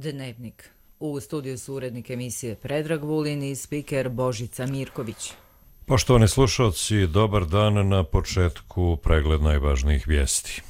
Dnevnik. U studiju su urednik emisije Predrag Vulin i spiker Božica Mirković. Poštovani slušalci, dobar dan. Na početku pregled najvažnijih vijesti.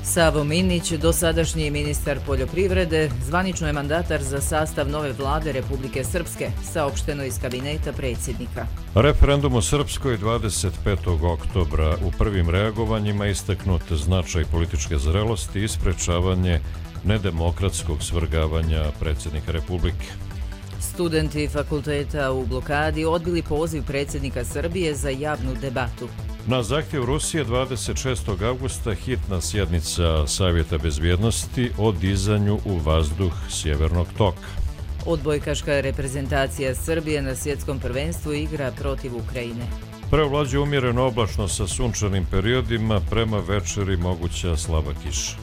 Savo Minić, dosadašnji ministar poljoprivrede, zvanično je mandatar za sastav nove vlade Republike Srpske, saopšteno iz kabineta predsjednika. Referendum u Srpskoj 25. oktobra. U prvim reagovanjima istaknut značaj političke zrelosti i sprečavanje nedemokratskog svrgavanja predsjednika Republike. Studenti fakulteta u blokadi odbili poziv predsjednika Srbije za javnu debatu. Na zahtjev Rusije 26. avgusta hitna sjednica Savjeta bezbjednosti o dizanju u vazduh Sjevernog toka. Odbojkaška reprezentacija Srbije na svjetskom prvenstvu igra protiv Ukrajine. Prevlađuje umjereno oblačno sa sunčanim periodima, prema večeri moguća slaba kiša.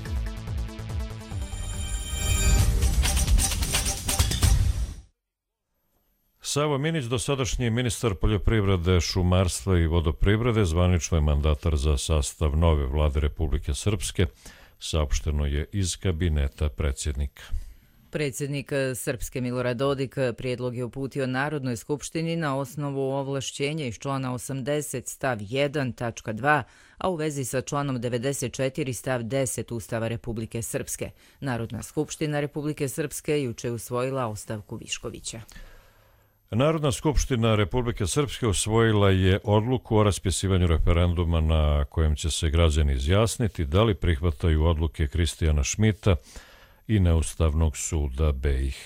Savo Minić, dosadašnji ministar poljoprivrede, šumarstva i vodoprivrede, zvanično je mandatar za sastav nove vlade Republike Srpske, saopšteno je iz kabineta predsjednika. Predsjednik Srpske Milorad Dodik prijedlog je uputio Narodnoj skupštini na osnovu ovlašćenja iz člana 80 stav 1 tačka 2, a u vezi sa članom 94 stav 10 Ustava Republike Srpske. Narodna skupština Republike Srpske juče je usvojila ostavku Viškovića. Narodna skupština Republike Srpske usvojila je odluku o raspisivanju referenduma na kojem će se građani izjasniti da li prihvataju odluke Kristijana Šmita i Neustavnog suda BiH.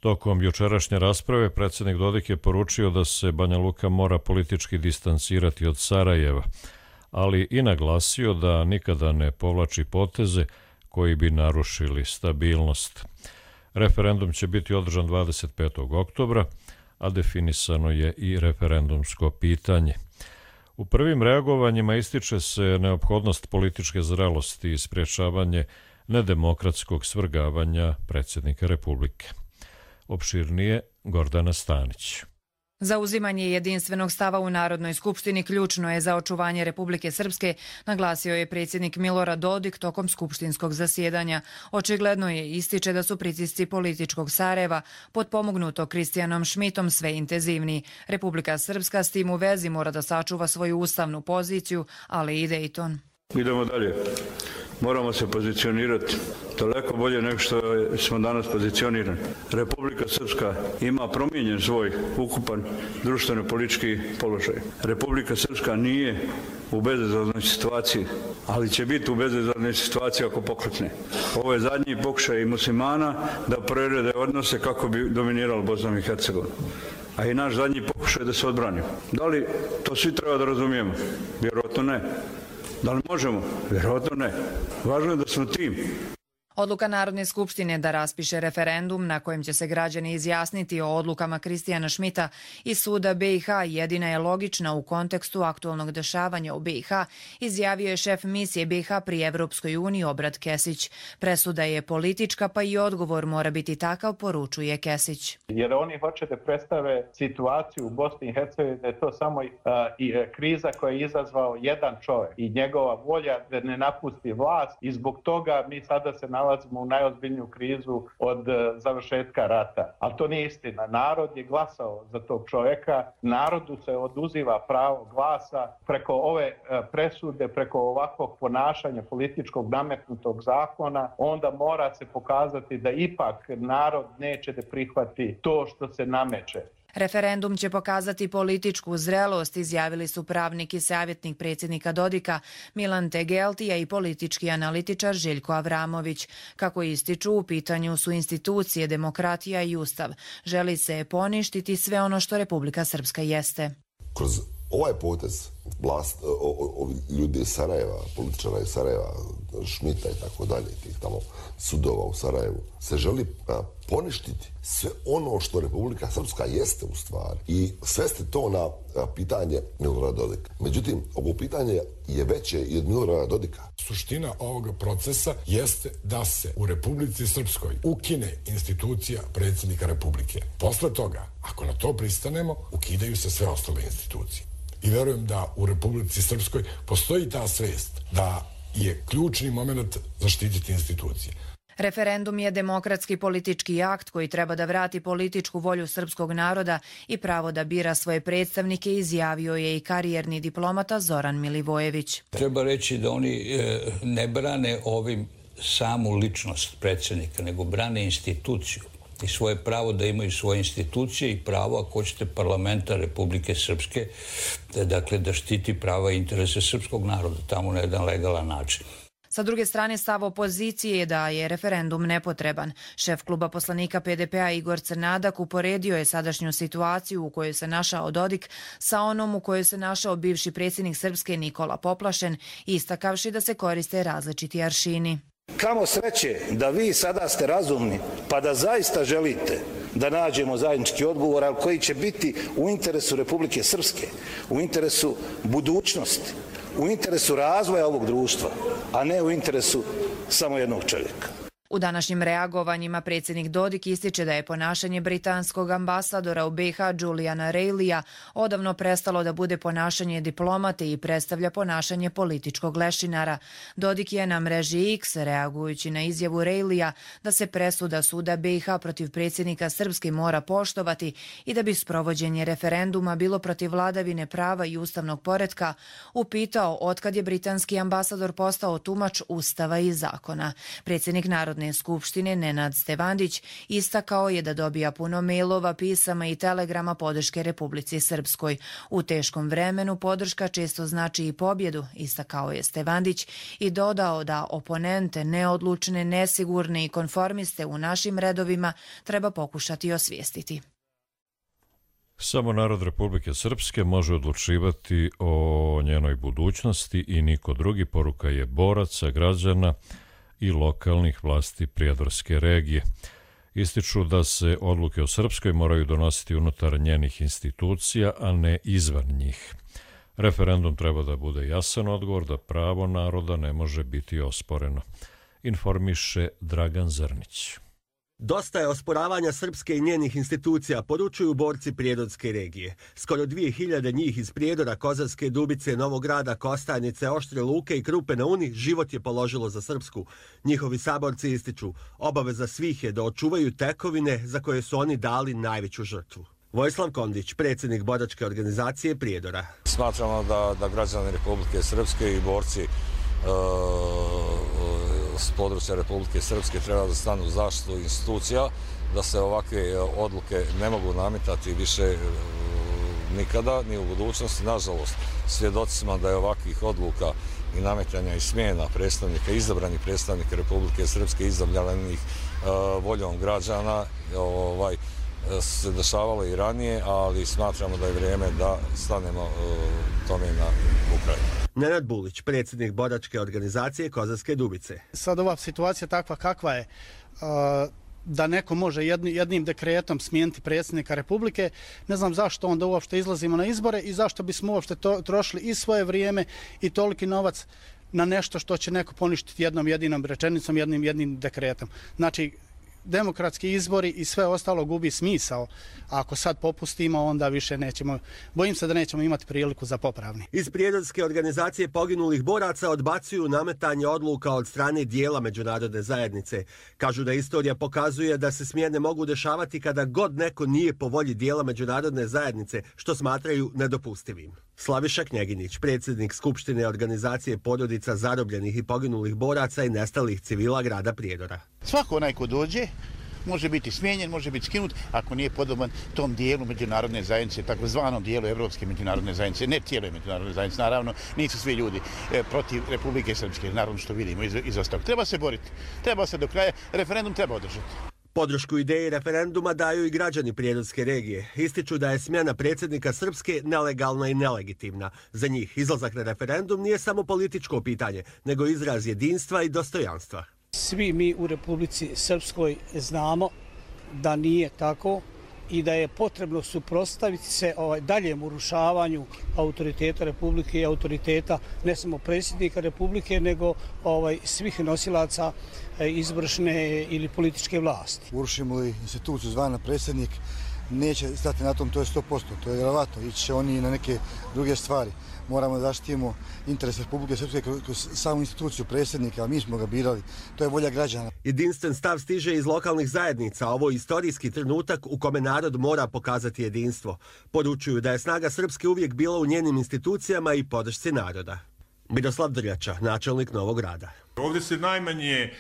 Tokom jučerašnje rasprave predsjednik Dodik je poručio da se Banja Luka mora politički distancirati od Sarajeva, ali i naglasio da nikada ne povlači poteze koji bi narušili stabilnost. Referendum će biti održan 25. oktobra, a definisano je i referendumsko pitanje. U prvim reagovanjima ističe se neophodnost političke zrelosti i sprječavanje nedemokratskog svrgavanja predsjednika Republike. Opširnije Gordana Stanić. Zauzimanje jedinstvenog stava u Narodnoj skupštini ključno je za očuvanje Republike Srpske, naglasio je predsjednik Milorad Dodik tokom skupštinskog zasjedanja. Očigledno je ističe da su pritisci političkog Sarajeva, potpomognuto Kristijanom Šmitom, sve intenzivniji. Republika Srpska s tim u vezi mora da sačuva svoju ustavnu poziciju, ali i Dejton. Idemo dalje. Moramo se pozicionirati daleko bolje nego što smo danas pozicionirani. Republika Srpska ima promijenjen svoj ukupan društveno-politički položaj. Republika Srpska nije u bezizlaznoj situaciji, ali će biti u bezizlaznoj situaciji ako poklekne. Ovo je zadnji pokušaj muslimana da prerede odnose kako bi dominirali Bosnom i Hercegovinom. A i naš zadnji pokušaj da se odbranimo. Da li to svi treba da razumijemo? Vjerojatno ne. Da li možemo? Vjerojatno ne. Važno je da smo tim. Odluka Narodne skupštine da raspiše referendum na kojem će se građani izjasniti o odlukama Kristijana Šmita i suda BiH jedina je logična u kontekstu aktualnog dešavanja u BiH, izjavio je šef misije BiH pri Evropskoj uniji Obrat Kesić. Presuda je politička, pa i odgovor mora biti takav, poručuje Kesić. Jer oni hoće da predstave situaciju u Bosni i Hercegovini da je to samo kriza koja je izazvao jedan čovjek i njegova volja da ne napusti vlast i zbog toga mi sada se nalazimo u najozbiljniju krizu od završetka rata. Ali to nije istina. Narod je glasao za tog čovjeka. Narodu se oduziva pravo glasa preko ove presude, preko ovakvog ponašanja političkog nametnutog zakona. Onda mora se pokazati da ipak narod neće da prihvati to što se nameće. Referendum će pokazati političku zrelost, izjavili su pravnik i savjetnik predsjednika Dodika Milan Tegeltija i politički analitičar Željko Avramović. Kako ističu, u pitanju su institucije, demokratija i ustav. Želi se poništiti sve ono što Republika Srpska jeste. Kroz ovaj potez ljudi iz Sarajeva, političara iz Sarajeva, Šmita i tako dalje, tih tamo sudova u Sarajevu, se želi poništiti sve ono što Republika Srpska jeste u stvari i svesti to na pitanje Milorada Dodika. Međutim, ovo pitanje je veće i od Milorada Dodika. Suština ovoga procesa jeste da se u Republici Srpskoj ukine institucija predsjednika Republike. Posle toga, ako na to pristanemo, ukidaju se sve ostale institucije. i verujem da u Republici Srpskoj postoji ta svest da je ključni moment zaštititi institucije. Referendum je demokratski politički akt koji treba da vrati političku volju srpskog naroda i pravo da bira svoje predstavnike, izjavio je i karijerni diplomata Zoran Milivojević. Treba reći da oni ne brane ovim samu ličnost predsjednika, nego brane instituciju i svoje pravo da imaju svoje institucije i pravo, ako hoćete, parlamenta Republike Srpske, dakle da štiti prava i interese srpskog naroda tamo na jedan legalan način. Sa druge strane, stav opozicije je da je referendum nepotreban. Šef kluba poslanika PDP-a Igor Crnadak uporedio je sadašnju situaciju u kojoj se našao Dodik sa onom u kojoj se našao bivši predsjednik Srpske Nikola Poplašen, istakavši da se koriste različiti aršini. Kamo sreće da vi sada ste razumni pa da zaista želite da nađemo zajednički odgovor, ali koji će biti u interesu Republike Srpske, u interesu budućnosti, u interesu razvoja ovog društva, a ne u interesu samo jednog čovjeka. U današnjim reagovanjima predsjednik Dodik ističe da je ponašanje britanskog ambasadora u BiH Juliana Reilija odavno prestalo da bude ponašanje diplomate i predstavlja ponašanje političkog lešinara. Dodik je na mreži X, reagujući na izjavu Reilija da se presuda suda BiH protiv predsjednika Srpske mora poštovati i da bi sprovođenje referenduma bilo protiv vladavine prava i ustavnog poretka, upitao otkad je britanski ambasador postao tumač ustava i zakona. Predsjednik Narodne skupštine Nenad Stevandić istakao je da dobija puno mailova, pisama i telegrama podrške Republici Srpskoj. U teškom vremenu podrška često znači i pobjedu, istakao je Stevandić i dodao da oponente, neodlučne, nesigurne i konformiste u našim redovima treba pokušati osvijestiti. Samo narod Republike Srpske može odlučivati o njenoj budućnosti i niko drugi, poruka je boraca, građana i lokalnih vlasti prijedorske regije. Ističu da se odluke o Srpskoj moraju donositi unutar njenih institucija, a ne izvan njih. Referendum treba da bude jasan odgovor da pravo naroda ne može biti osporeno, informiše Dragan Zrnić. Dosta je osporavanja Srpske i njenih institucija, poručuju borci Prijedorske regije. Skoro 2000 njih iz Prijedora, Kozarske Dubice, Novog Grada, Kostajnice, Oštre Luke i Krupe na Uni život je položilo za Srpsku. Njihovi saborci ističu, obaveza svih je da očuvaju tekovine za koje su oni dali najveću žrtvu. Vojislav Kondić, predsjednik boračke organizacije Prijedora. Smatramo da građani Republike Srpske i borci s područja Republike Srpske treba da stanu u zaštitu institucija, da se ovakve odluke ne mogu nametati više nikada, ni u budućnosti. Nažalost, svjedoci smo da je ovakvih odluka i nametanja i smjena predstavnika, izabranih predstavnika Republike Srpske, izabranih voljom građana, se dešavalo i ranije, ali smatramo da je vrijeme da stanemo tome na Ukrajinu. Nenad Bulić, predsjednik boračke organizacije Kozarske Dubice. Sad ova situacija takva kakva je, da neko može jednim dekretom smijeniti predsjednika Republike, ne znam zašto onda uopšte izlazimo na izbore i zašto bismo uopšte trošili i svoje vrijeme i toliki novac na nešto što će neko poništiti jednom jedinom rečenicom, jednim dekretom. Znači, demokratski izbori i sve ostalo gubi smisao. A ako sad popustimo, onda više nećemo, bojim se da nećemo imati priliku za popravni. Iz Prijedorske organizacije poginulih boraca odbacuju nametanje odluka od strane dijela međunarodne zajednice. Kažu da istorija pokazuje da se smjene mogu dešavati kada god neko nije po volji dijela međunarodne zajednice, što smatraju nedopustivim. Slaviša Knjeginić, predsjednik Skupštine organizacije porodica zarobljenih i poginulih boraca i nestalih civila grada Prijedora. Svako onaj ko dođe može biti smijenjen, može biti skinut ako nije podoban tom dijelu međunarodne zajednice, takozvanom dijelu Evropske međunarodne zajednice, ne cijeloj međunarodne zajednice, naravno nisu svi ljudi protiv Republike Srpske, naravno što vidimo iz ostalog. Treba se boriti, treba se do kraja, referendum treba održati. Podršku ideji referenduma daju i građani Prijedorske regije. Ističu da je smjena predsjednika Srpske nelegalna i nelegitimna. Za njih izlazak na referendum nije samo političko pitanje, nego izraz jedinstva i dostojanstva. Svi mi u Republici Srpskoj znamo da nije tako i da je potrebno suprotstaviti se daljem urušavanju autoriteta Republike i autoriteta ne samo predsjednika Republike, nego svih nosilaca izvršne ili političke vlasti. Urušimo li instituciju zvana predsjednik, neće stati na tom, to je 100%, to je vjerovatno, ići će oni na neke druge stvari. Moramo da zaštitimo interes Republike Srpske kroz samu instituciju predsjednika, a mi smo ga birali, to je volja građana. Jedinstven stav stiže iz lokalnih zajednica, ovo je istorijski trenutak u kome narod mora pokazati jedinstvo. Poručuju da je snaga Srpske uvijek bila u njenim institucijama i podršci naroda. Miroslav Drljača, načelnik Novog Grada. Ovdje se najmanje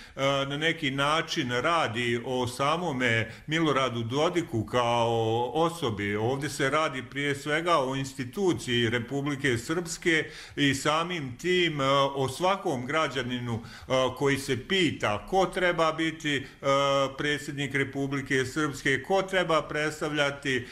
na neki način radi o samome Miloradu Dodiku kao osobi. Ovdje se radi prije svega o instituciji Republike Srpske i samim tim o svakom građaninu koji se pita ko treba biti predsjednik Republike Srpske, ko treba predstavljati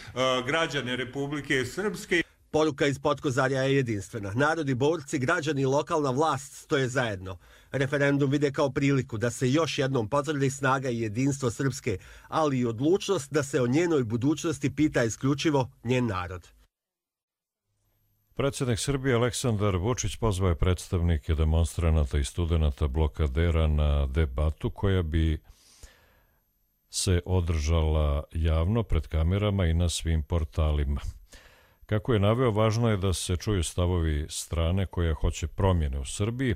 građane Republike Srpske. Poruka iz Potkozarja je jedinstvena. Narodi, borci, građani i lokalna vlast stoje zajedno. Referendum vide kao priliku da se još jednom potvrdi snaga i jedinstvo Srpske, ali i odlučnost da se o njenoj budućnosti pita isključivo njen narod. Predsjednik Srbije Aleksandar Vučić pozvao je predstavnike demonstranata i studenata blokadera na debatu koja bi se održala javno pred kamerama i na svim portalima. Kako je naveo, važno je da se čuju stavovi strane koja hoće promjene u Srbiji,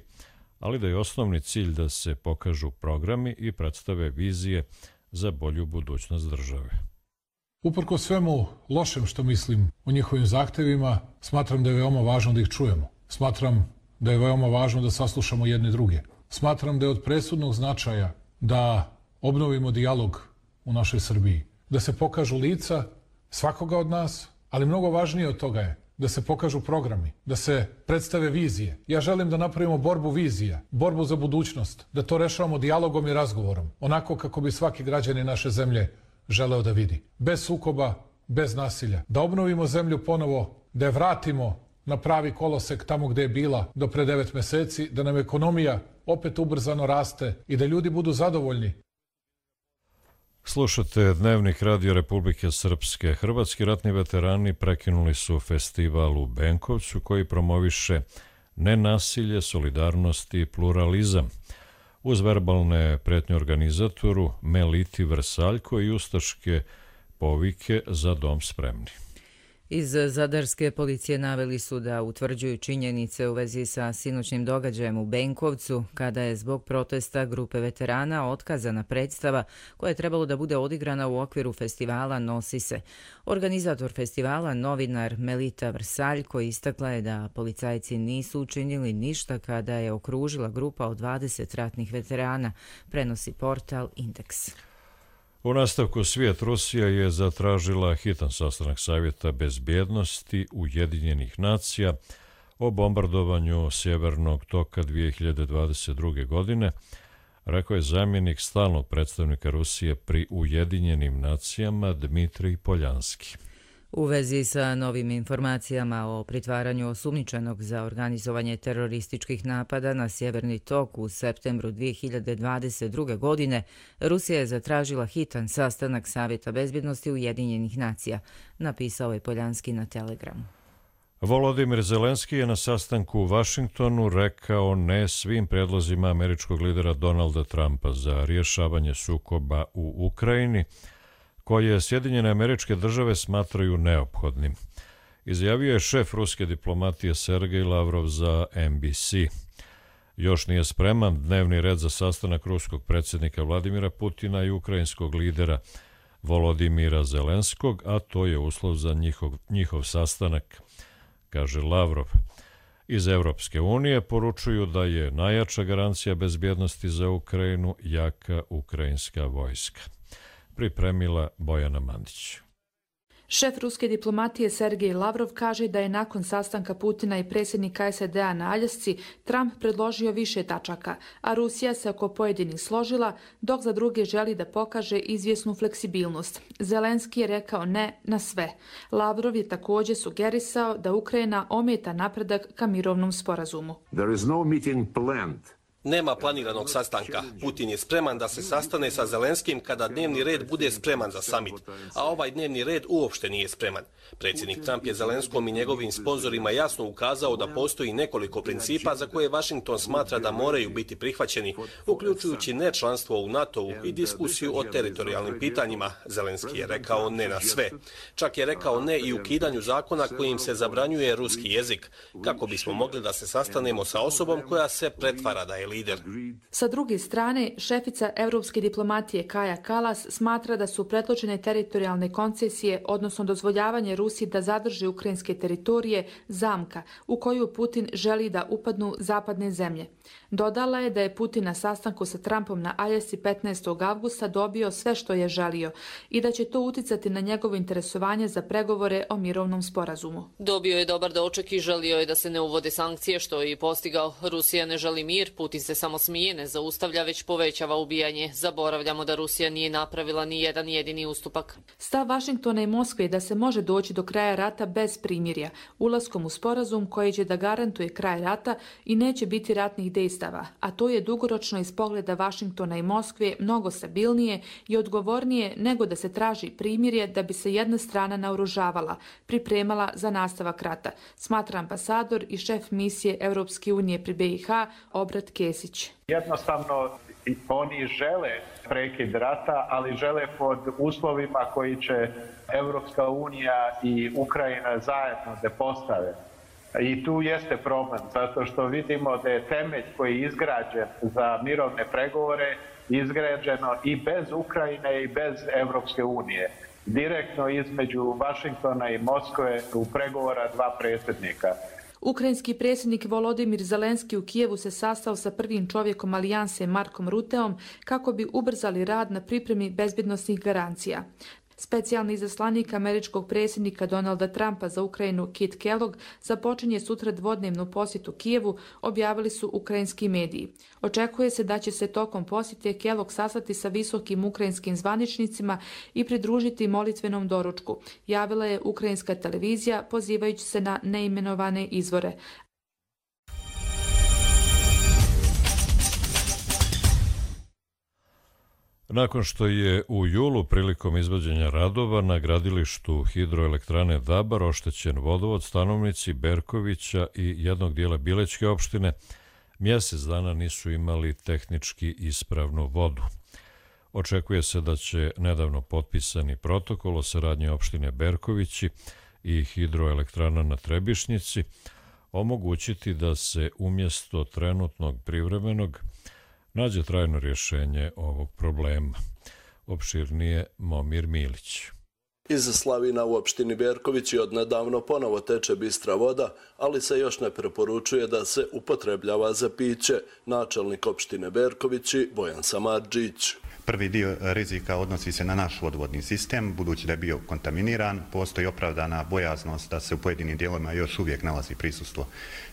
ali da je osnovni cilj da se pokažu programi i predstave vizije za bolju budućnost države. Uprkos svemu lošem što mislim o njihovim zahtevima, smatram da je veoma važno da ih čujemo. Smatram da je veoma važno da saslušamo jedni druge. Smatram da je od presudnog značaja da obnovimo dijalog u našoj Srbiji, da se pokažu lica svakoga od nas, ali mnogo važnije od toga je da se pokažu programi, da se predstave vizije. Ja želim da napravimo borbu vizija, borbu za budućnost, da to rešavamo dijalogom i razgovorom, onako kako bi svaki građanin naše zemlje želeo da vidi. Bez sukoba, bez nasilja. Da obnovimo zemlju ponovo, da je vratimo na pravi kolosek tamo gde je bila do pre 9 meseci, da nam ekonomija opet ubrzano raste i da ljudi budu zadovoljni. Slušate Dnevnik Radio Republike Srpske. Hrvatski ratni veterani prekinuli su festival u Benkovcu koji promoviše nenasilje, solidarnost i pluralizam. Uz verbalne pretnje organizatoru Meliti Vrsaljko i ustaške povike Za dom spremni. Iz Zadarske policije naveli su da utvrđuju činjenice u vezi sa sinoćnim događajem u Benkovcu, kada je zbog protesta grupe veterana otkazana predstava koja je trebalo da bude odigrana u okviru festivala Nosi se. Organizator festivala, novinar Melita Vrsaljko, istakla je da policajci nisu učinili ništa kada je okružila grupa od 20 ratnih veterana, prenosi portal Indeks. U nastavku svijet Rusija je zatražila hitan sastanak Savjeta bezbjednosti Ujedinjenih nacija o bombardovanju Sjevernog toka 2022. godine, rekao je zamjenik stalnog predstavnika Rusije pri Ujedinjenim nacijama Dmitrij Poljanski. U vezi sa novim informacijama o pritvaranju osumnjičenog za organizovanje terorističkih napada na Sjeverni tok u septembru 2022. godine, Rusija je zatražila hitan sastanak Savjeta bezbjednosti Ujedinjenih nacija, napisao je Poljanski na Telegramu. Volodimir Zelenski je na sastanku u Vašingtonu rekao ne svim predlozima američkog lidera Donalda Trumpa za rješavanje sukoba u Ukrajini, koje Sjedinjene Američke Države smatraju neophodnim. Izjavio je šef ruske diplomatije Sergej Lavrov za NBC. Još nije spreman dnevni red za sastanak ruskog predsjednika Vladimira Putina i ukrajinskog lidera Volodimira Zelenskog, a to je uslov za njihov sastanak, kaže Lavrov. Iz Evropske unije poručuju da je najjača garancija bezbjednosti za Ukrajinu jaka ukrajinska vojska. Pripremila Bojana Mandić. Šef ruske diplomatije Sergej Lavrov kaže da je nakon sastanka Putina i predsjednika SAD-a na Aljasci Trump predložio više tačaka, a Rusija se oko pojedinih složila, dok za druge želi da pokaže izvjesnu fleksibilnost. Zelenski je rekao ne na sve. Lavrov je također sugerisao da Ukrajina ometa napredak ka mirovnom sporazumu. There is no meeting planned Nema planiranog sastanka. Putin je spreman da se sastane sa Zelenskim kada dnevni red bude spreman za samit, a ovaj dnevni red uopšte nije spreman. Predsjednik Trump je Zelenskom i njegovim sponzorima jasno ukazao da postoji nekoliko principa za koje Washington smatra da moraju biti prihvaćeni, uključujući nečlanstvo u NATO-u i diskusiju o teritorijalnim pitanjima. Zelenski je rekao ne na sve. Čak je rekao ne i ukidanju zakona kojim se zabranjuje ruski jezik, kako bismo mogli da se sastanemo sa osobom koja se pretvara da je lider. Sa druge strane, šefica evropske diplomatije Kaja Kallas smatra da su predložene teritorijalne koncesije, odnosno dozvoljavanje Rusiji da zadrži ukrajinske teritorije, zamka u koju Putin želi da upadnu zapadne zemlje. Dodala je da je Putin na sastanku sa Trumpom na Aljasci 15. avgusta dobio sve što je želio i da će to uticati na njegovo interesovanje za pregovore o mirovnom sporazumu. Dobio je dobar doček i želio je da se ne uvode sankcije, što je i postigao. Rusija ne želi mir, Putin se samo smije, ne zaustavlja, već povećava ubijanje. Zaboravljamo da Rusija nije napravila ni jedan jedini ustupak. Stav Vašingtona i Moskve je da se može doći do kraja rata bez primirja, ulaskom u sporazum koji će da garantuje kraj rata i neće biti ratnih dejstava, a to je dugoročno iz pogleda Vašingtona i Moskve mnogo stabilnije i odgovornije nego da se traži primirje da bi se jedna strana naoružavala, pripremala za nastavak rata, smatra ambasador i šef misije Europske unije pri BiH Obrat Kesić. Jednostavno oni žele prekid rata, ali žele pod uslovima koji će Europska unija i Ukrajina zajedno da postave. I tu jeste problem, zato što vidimo da je temelj koji je izgrađen za mirovne pregovore izgrađeno i bez Ukrajine i bez Evropske unije. Direktno između Vašingtona i Moskve u pregovora dva predsjednika. Ukrajinski predsjednik Volodimir Zelenski u Kijevu se sastao sa prvim čovjekom alijanse Markom Ruteom kako bi ubrzali rad na pripremi bezbjednosnih garancija. Specijalni izaslanik američkog predsjednika Donalda Trumpa za Ukrajinu Kit Kellogg započinje sutra dvodnevnu posjetu Kijevu, objavili su ukrajinski mediji. Očekuje se da će se tokom posjete Kellogg sastati sa visokim ukrajinskim zvaničnicima i pridružiti molitvenom doručku, javila je ukrajinska televizija pozivajući se na neimenovane izvore. Nakon što je u julu prilikom izvođenja radova na gradilištu hidroelektrane Dabar oštećen vodovod, stanovnici Berkovića i jednog dijela Bilečke opštine mjesec dana nisu imali tehnički ispravnu vodu. Očekuje se da će nedavno potpisani protokol o saradnji opštine Berkovići i hidroelektrana na Trebišnjici omogućiti da se umjesto trenutnog privremenog nađe trajno rješenje ovog problema. Opširnije Momir Milić. Iz slavina u opštini Berkovići odnedavno ponovo teče bistra voda, ali se još ne preporučuje da se upotrebljava za piće. Načelnik opštine Berkovići Bojan Samardžić. Prvi dio rizika odnosi se na naš vodovodni sistem, budući da je bio kontaminiran, postoji opravdana bojaznost da se u pojedinim dijelovima još uvijek nalazi prisustvo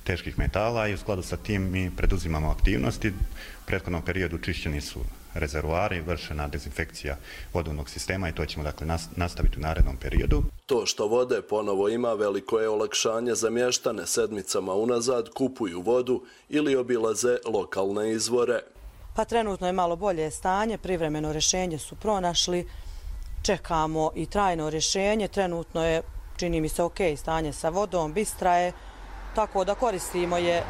teških metala i u skladu sa tim mi preduzimamo aktivnosti. U prethodnom periodu čišćeni su rezervoari, vršena dezinfekcija vodovnog sistema i to ćemo dakle nastaviti u narednom periodu. To što vode ponovo ima veliko je olakšanje za mještane, sedmicama unazad kupuju vodu ili obilaze lokalne izvore. Pa trenutno je malo bolje stanje, privremeno rješenje su pronašli, čekamo i trajno rješenje, trenutno je, čini mi se, ok stanje sa vodom, bistra je, tako da koristimo je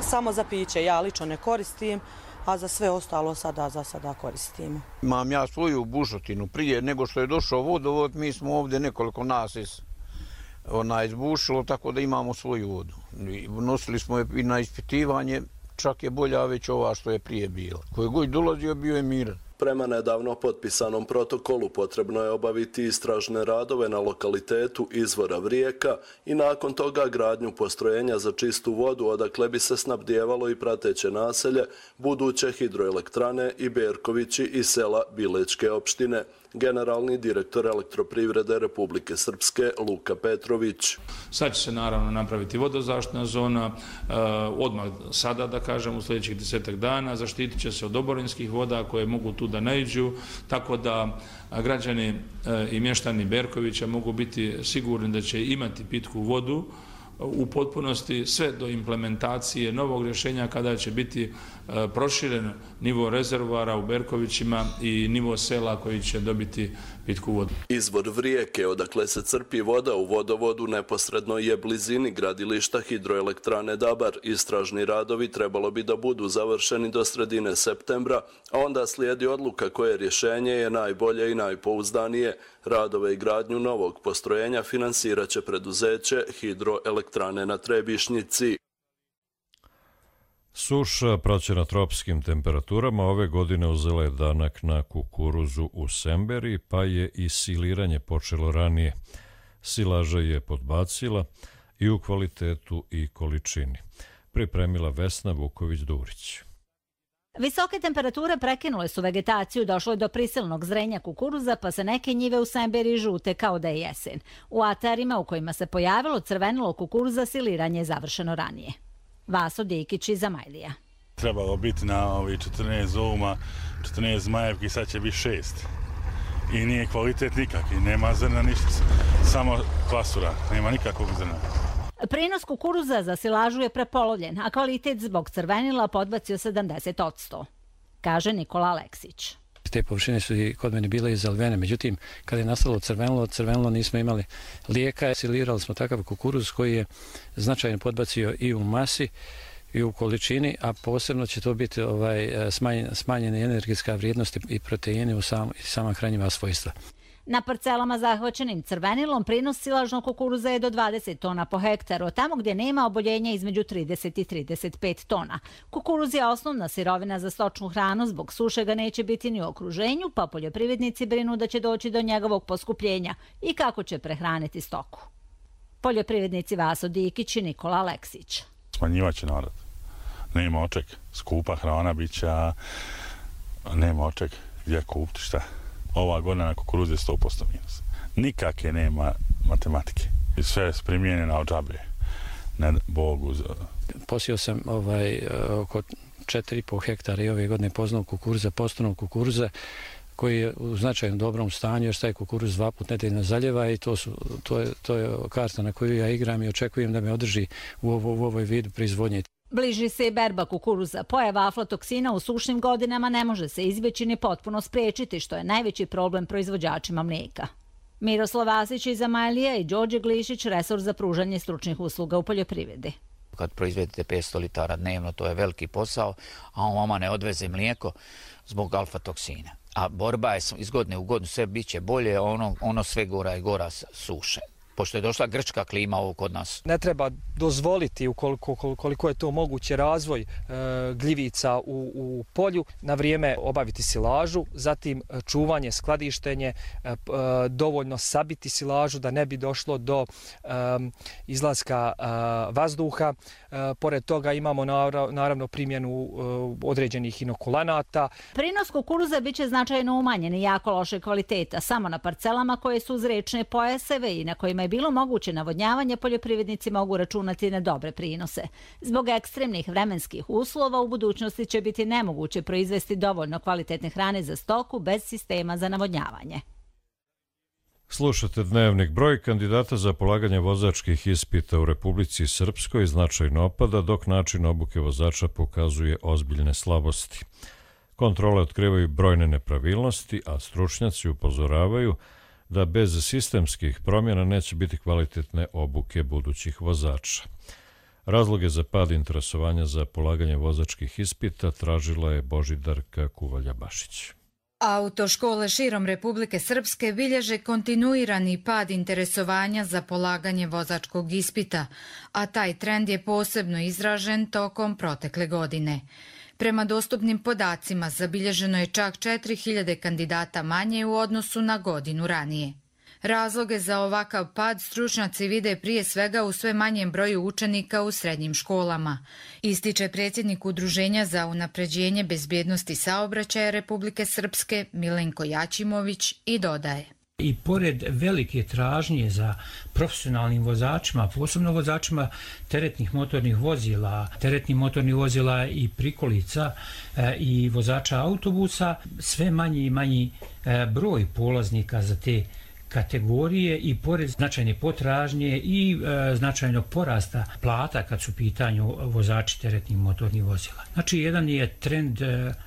samo za piće, ja lično ne koristim, a za sve ostalo za sada koristimo. Imam ja svoju bušotinu, prije nego što je došao vodovod, mi smo ovdje nekoliko nas izbušilo, tako da imamo svoju vodu. Nosili smo je i na ispitivanje, čak je bolja već ova što je prije bila. Koji god dolazio bio je miran. Prema nedavno potpisanom protokolu potrebno je obaviti istražne radove na lokalitetu izvora Vrijeka i nakon toga gradnju postrojenja za čistu vodu odakle bi se snabdijevalo i prateće naselje, buduće hidroelektrane i Berkovići iz sela Bilečke opštine. Generalni direktor Elektroprivrede Republike Srpske Luka Petrović. Sad će se naravno napraviti vodozaštitna zona, odmah sada da kažem u sljedećih 10 dana, zaštitit će se od oborinskih voda koje mogu tu da naiđu, tako da građani i mještani Berkovića mogu biti sigurni da će imati pitku vodu u potpunosti sve do implementacije novog rješenja kada će biti proširen nivo rezervoara u Berkovićima i nivo sela koji će dobiti pitku vodu. Izvor Vrijeke, odakle se crpi voda u vodovodu, neposredno je blizini gradilišta hidroelektrane Dabar. Istražni radovi trebalo bi da budu završeni do sredine septembra, a onda slijedi odluka koje rješenje je najbolje i najpouzdanije. Radove i gradnju novog postrojenja finansirat će preduzeće Hidroelektrane na Trebišnjici. Suša praćena tropskim temperaturama ove godine uzela je danak na kukuruzu u Semberi, pa je i siliranje počelo ranije. Silaža je podbacila i u kvalitetu i količini. Pripremila Vesna Vuković-Durić. Visoke temperature prekinule su vegetaciju, došlo je do prisilnog zrenja kukuruza, pa se neke njive u Semberi žute kao da je jesen. U atarima u kojima se pojavilo crvenilo kukuruza siliranje je završeno ranije. Vaso Dikić iz Zamajlija. Trebalo biti na ovi 14 ouma, 14 zmajevki, sad će biti 6. I nije kvalitet nikakvi, nema zrna ništa, samo klasura, nema nikakvog zrna. Prinos kukuruza za silažu je prepolovljen, a kvalitet zbog crvenila podbacio 70%, kaže Nikola Aleksić. Te površine su i kod mene bile izalivene, međutim, kada je nastalo crvenilo nismo imali lijeka. Silirali smo takav kukuruz koji je značajno podbacio i u masi i u količini, a posebno će to biti smanjena energetska vrijednost i proteini u sama hranjiva svojstva. Na parcelama zahvaćenim crvenilom prinos silažnog kukuruza je do 20 tona po hektaru, tamo gdje nema oboljenja između 30 i 35 tona. Kukuruz je osnovna sirovina za stočnu hranu, zbog suše ga neće biti ni u okruženju, pa poljoprivrednici brinu da će doći do njegovog poskupljenja i kako će prehraniti stoku. Poljoprivrednici Vaso Dikić i Nikola Aleksić. Smanjivaće narod. Nema oček. Skupa hrana biće, nema oček. Gdje kupiti šta? Ova godina na kukuruze je 100% minus. Nikakve nema matematike. Sve je primjenjeno od džabe. Ne Bogu. Posio sam oko 4,5 hektara i ove godine poznanog kukuruza, postonog kukuruza, koji je u značajno dobrom stanju, jer taj kukuruz 2 puta nedeljno zaljeva i to je karta na koju ja igram i očekujem da me održi u ovoj vidu proizvodnje. Bliži se i berba kukuruza. Pojava aflatoksina u sušnim godinama ne može se izbjeći ni potpuno spriječiti, što je najveći problem proizvođačima mlijeka. Miroslav Vasić iz Zamajlija i Đorđe Glišić, resor za pružanje stručnih usluga u poljoprivredi. Kad proizvedete 500 litara dnevno, to je veliki posao, a on vama ne odveze mlijeko zbog alfatoksina. A borba je iz godine u godinu, sve bit će bolje, ono sve gora i gora suše. Pošto je došla grčka klima ovo kod nas. Ne treba dozvoliti, koliko je to moguće, razvoj gljivica u polju, na vrijeme obaviti silažu, zatim čuvanje, skladištenje, dovoljno sabiti silažu da ne bi došlo do izlaska vazduha. Pored toga imamo naravno primjenu određenih inokulanata. Prinos kukuruza bit će značajno umanjen i jako loše kvaliteta. Samo na parcelama koje su uz rečne pojaseve i na kojima je bilo moguće navodnjavanje, poljoprivrednici mogu računati na dobre prinose. Zbog ekstremnih vremenskih uslova u budućnosti će biti nemoguće proizvesti dovoljno kvalitetne hrane za stoku bez sistema za navodnjavanje. Slušate dnevnik. Broj kandidata za polaganje vozačkih ispita u Republici Srpskoj značajno opada, dok način obuke vozača pokazuje ozbiljne slabosti. Kontrole otkrivaju brojne nepravilnosti, a stručnjaci upozoravaju da bez sistemskih promjena neće biti kvalitetne obuke budućih vozača. Razloge za pad interesovanja za polaganje vozačkih ispita tražila je Božidarka Kuvalja-Bašić. Autoškole širom Republike Srpske bilježe kontinuirani pad interesovanja za polaganje vozačkog ispita, a taj trend je posebno izražen tokom protekle godine. Prema dostupnim podacima zabilježeno je čak 4000 kandidata manje u odnosu na godinu ranije. Razloge za ovakav pad stručnjaci vide prije svega u sve manjem broju učenika u srednjim školama, ističe predsjednik Udruženja za unapređenje bezbjednosti saobraćaja Republike Srpske Milenko Jačimović i dodaje. I pored velike tražnje za profesionalnim vozačima, posebno vozačima teretnih motornih vozila i prikolica i vozača autobusa, sve manji i manji broj polaznika za te kategorije i pored značajne potražnje i značajnog porasta plata kad su u pitanju vozači teretnih motornih vozila. Znači, jedan je trend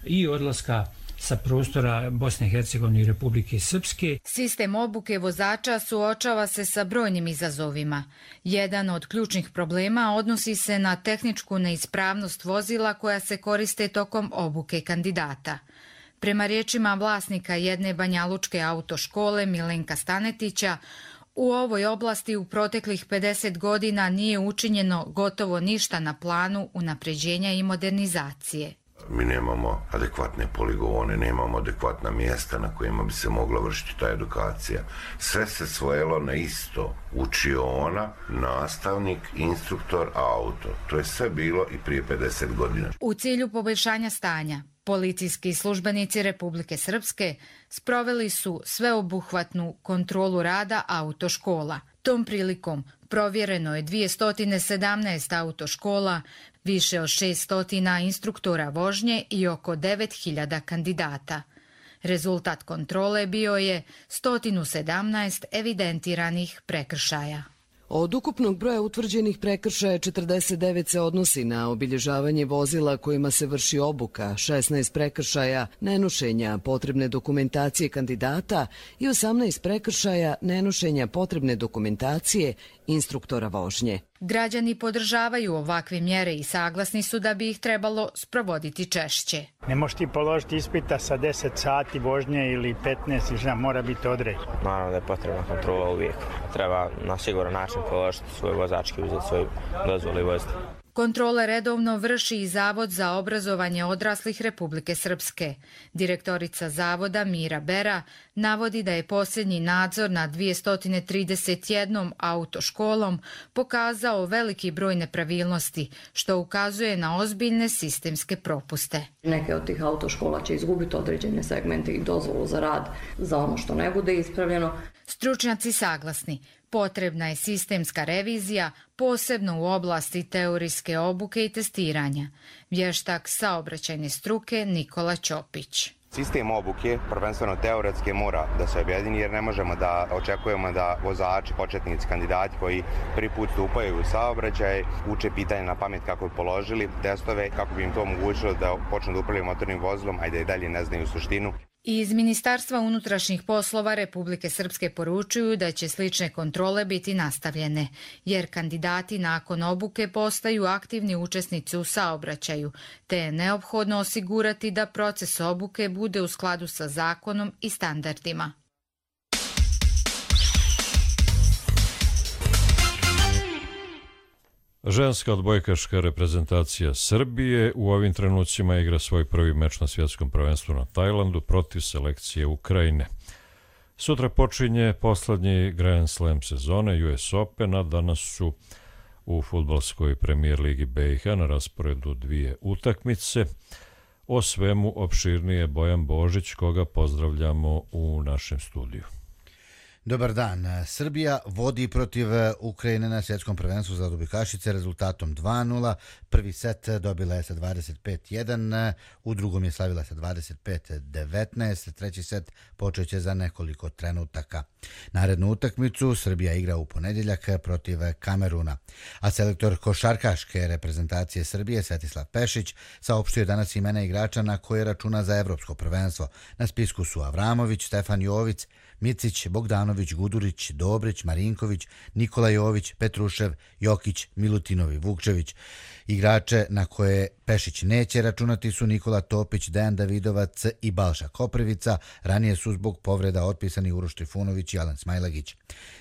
i odlaska sa prostora Bosne i Hercegovine i Republike Srpske. Sistem obuke vozača suočava se sa brojnim izazovima. Jedan od ključnih problema odnosi se na tehničku neispravnost vozila koja se koriste tokom obuke kandidata. Prema riječima vlasnika jedne banjalučke autoškole Milenka Stanetića, u ovoj oblasti u proteklih 50 godina nije učinjeno gotovo ništa na planu unapređenja i modernizacije. Mi nemamo adekvatne poligone, nemamo adekvatna mjesta na kojima bi se mogla vršiti ta edukacija. Sve se svojelo na isto. Učiona, nastavnik, instruktor, auto. To je sve bilo i prije 50 godina. U cilju poboljšanja stanja, policijski službenici Republike Srpske sproveli su sveobuhvatnu kontrolu rada autoškola. Tom prilikom provjereno je 217 autoškola, više od 600 instruktora vožnje i oko 9000 kandidata. Rezultat kontrole bio je 117 evidentiranih prekršaja. Od ukupnog broja utvrđenih prekršaja 49 se odnosi na obilježavanje vozila kojima se vrši obuka, 16 prekršaja nenošenja potrebne dokumentacije kandidata i 18 prekršaja nenošenja potrebne dokumentacije instruktora vožnje. Građani podržavaju ovakve mjere i saglasni su da bi ih trebalo sprovoditi češće. Ne možeš ti položiti ispita sa 10 sati vožnje ili 15, mora biti određen. Naravno da je potrebna kontrola uvijek. Treba na siguran način položiti svoj vozački, uzeti svoj dozvolu i voziti. Kontrole redovno vrši i Zavod za obrazovanje odraslih Republike Srpske. Direktorica Zavoda Mira Bera navodi da je posljednji nadzor nad 231 autoškolom pokazao veliki broj nepravilnosti, što ukazuje na ozbiljne sistemske propuste. Neke od tih autoškola će izgubiti određene segmente i dozvolu za rad za ono što ne bude ispravljeno. Stručnjaci saglasni. Potrebna je sistemska revizija, posebno u oblasti teorijske obuke i testiranja. Vještak saobraćajne struke Nikola Ćopić. Sistem obuke, prvenstveno teoretske, mora da se objedini jer ne možemo da očekujemo da vozači, početnici, kandidati koji prvi put stupaju u saobraćaj uče pitanje na pamet kako bi položili testove, kako bi im to omogućilo da počnu da upravljaju motornim vozilom, a da i dalje ne znaju suštinu. Iz Ministarstva unutrašnjih poslova Republike Srpske poručuju da će slične kontrole biti nastavljene, jer kandidati nakon obuke postaju aktivni učesnici u saobraćaju, te je neophodno osigurati da proces obuke bude u skladu sa zakonom i standardima. Ženska odbojkaška reprezentacija Srbije u ovim trenucima igra svoj prvi meč na svjetskom prvenstvu na Tajlandu protiv selekcije Ukrajine. Sutra počinje poslednji Grand Slam sezone US Open, a danas su u fudbalskoj premijer ligi BiH na rasporedu dvije utakmice. O svemu opširnije Bojan Božić, koga pozdravljamo u našem studiju. Dobar dan. Srbija vodi protiv Ukrajine na svjetskom prvenstvu za odbojkašice rezultatom 2:0. Prvi set dobila je sa 25:1, u drugom je slavila sa 25:19. Treći set počeće za nekoliko trenutaka. Narednu utakmicu Srbija igra u ponedjeljak protiv Kameruna. A selektor košarkaške reprezentacije Srbije Svetislav Pešić saopštio danas imena igrača na koje računa za evropsko prvenstvo. Na spisku su Avramović, Stefan Jović, Micić, Bogdanović, Gudurić, Dobrić, Marinković, Nikola Jović, Petrušev, Jokić, Milutinov i Vukčević. Igrače na koje Pešić neće računati su Nikola Topić, Dejan Davidovac i Balša Koprivica. Ranije su zbog povreda otpisani Uroš Trifunović i Alen Smajlagić.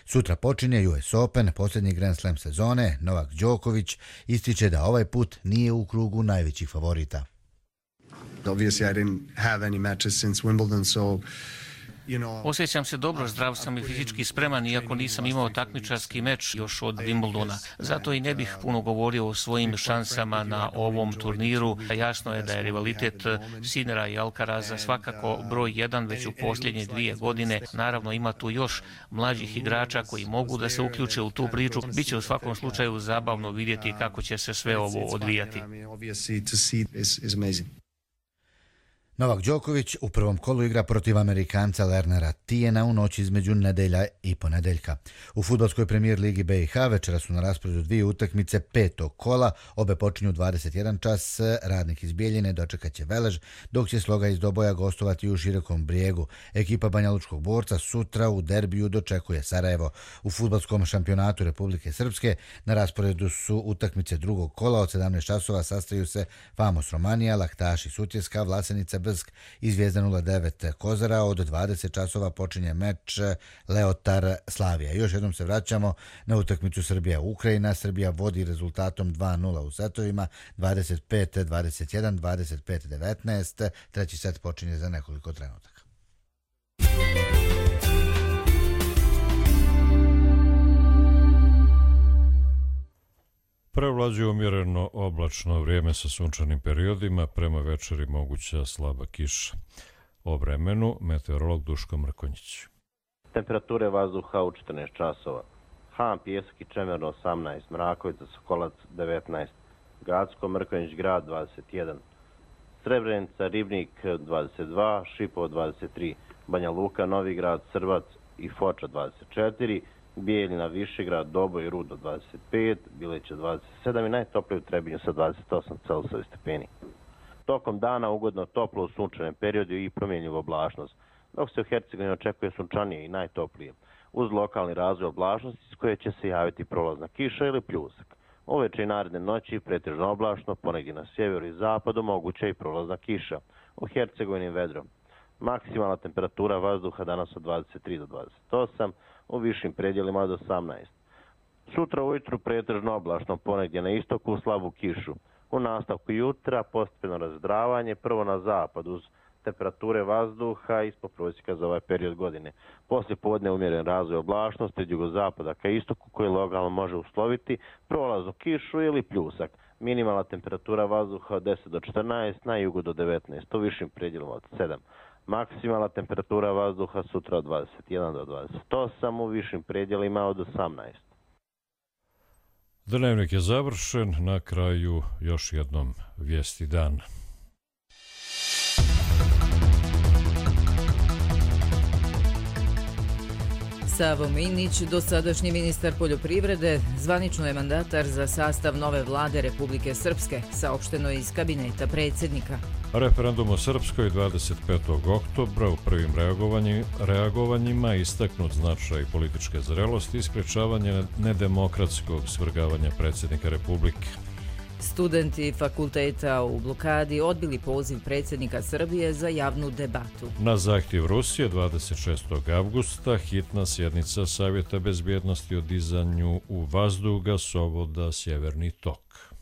Sutra počinje US Open, posljednji Grand Slam sezone. Novak Đoković ističe da ovaj put nije u krugu najvećih favorita. Obviously I didn't have any matches since Wimbledon, so Osjećam se dobro, zdrav sam i fizički spreman, iako nisam imao takmičarski meč još od Wimbledona. Zato i ne bih puno govorio o svojim šansama na ovom turniru. Jasno je da je rivalitet Sinera i Alcaraza svakako broj 1 već u posljednje 2 godine. Naravno ima tu još mlađih igrača koji mogu da se uključe u tu priču. Biće u svakom slučaju zabavno vidjeti kako će se sve ovo odvijati. Novak Đoković u prvom kolu igra protiv Amerikanca Lernera Tijena u noći između nedelja i ponedeljka. U fudbalskoj premijer ligi BiH večera su na rasporedu dvije utakmice petog kola, obe počinju 21 čas, Radnik iz Bijeljine dočekaće Velež, dok će Sloga iz Doboja gostovati u Širokom Brijegu. Ekipa Banjalučkog Borca sutra u derbiju dočekuje Sarajevo. U fudbalskom šampionatu Republike Srpske na rasporedu su utakmice drugog kola, od 17 časova sastaju se Famos Romanija, Laktaši Sutjeska, Vlasenica Brsk i Zvijezda 09 Kozara. Od 20 časova počinje meč Leotar Slavija. Još jednom se vraćamo na utakmicu Srbija-Ukrajina. Srbija vodi rezultatom 2-0 u setovima, 25-21, 25-19. Treći set počinje za nekoliko trenutaka. Prevlađuje umjereno oblačno vrijeme sa sunčanim periodima, prema večeri moguća slaba kiša. O vremenu meteorolog Duško Mrkonjić. Temperature vazduha u 14 časova. Han, Pijesak i Čemerno 18, Mrakovica, Sokolac 19, Gradsko, Mrkonjić grad 21, Srebrenica, Ribnik 22, Šipovo 23, Banja Luka, Novi grad, Srbac i Foča 24, Bijeljina, Višegrad, Doboj i Rudo 25, Bileća 27 i najtoplije u Trebinju sa 28 Celsijevi stepeni. Tokom dana ugodno toplo u sunčanem periodu i promjenjiva oblačnost, dok se u Hercegovini očekuje sunčanije i najtoplije, uz lokalni razvoj oblačnosti s koje će se javiti prolazna kiša ili pljusak. Uveče i naredne noći pretežno oblačno, ponegdje na sjeveru i zapadu moguća i prolazna kiša, u Hercegovini vedro. Maksimalna temperatura vazduha danas od 23 do 28, u višim predjelima od 18. Sutra ujutru pretežno oblačno, ponegdje na istoku slabu kišu. U nastavku jutra postepeno razdravanje, prvo na zapad uz temperature vazduha ispod prosjeka za ovaj period godine. Poslije podne umjeren razvoj oblačnosti od jugozapada ka istoku koji lokalno može usloviti prolaznu kišu ili pljusak. Minimalna temperatura vazduha od 10 do 14, na jugu do 19, u višim predjelima od 7. Maksimalna temperatura vazduha sutra od 21 do 28, u višim predjelima od 18. Dnevnik je završen, na kraju još jednom vijesti dana. Savo Minić, dosadašnji ministar poljoprivrede, zvanično je mandatar za sastav nove vlade Republike Srpske, saopšteno je iz kabineta predsjednika. Referendum o Srpskoj 25. oktobra u prvim reagovanjima istaknut značaj političke zrelosti i sprječavanje nedemokratskog svrgavanja predsjednika Republike. Studenti fakulteta u blokadi odbili poziv predsjednika Srbije za javnu debatu. Na zahtjev Rusije 26. avgusta hitna sjednica Savjeta bezbjednosti o dizanju u vazduh gasovoda Sjeverni tok.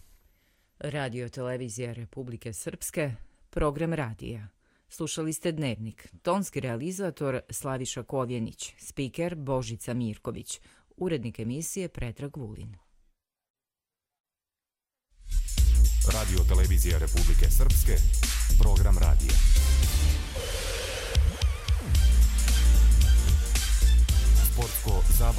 Radio televizija Republike Srpske, program radija. Slušali ste Dnevnik. Tonski realizator Slaviša Kovjenić, spiker Božica Mirković, urednik emisije Predrag Vulin. Radio televizija Republike Srpske, program radija. Sportsko zabavno.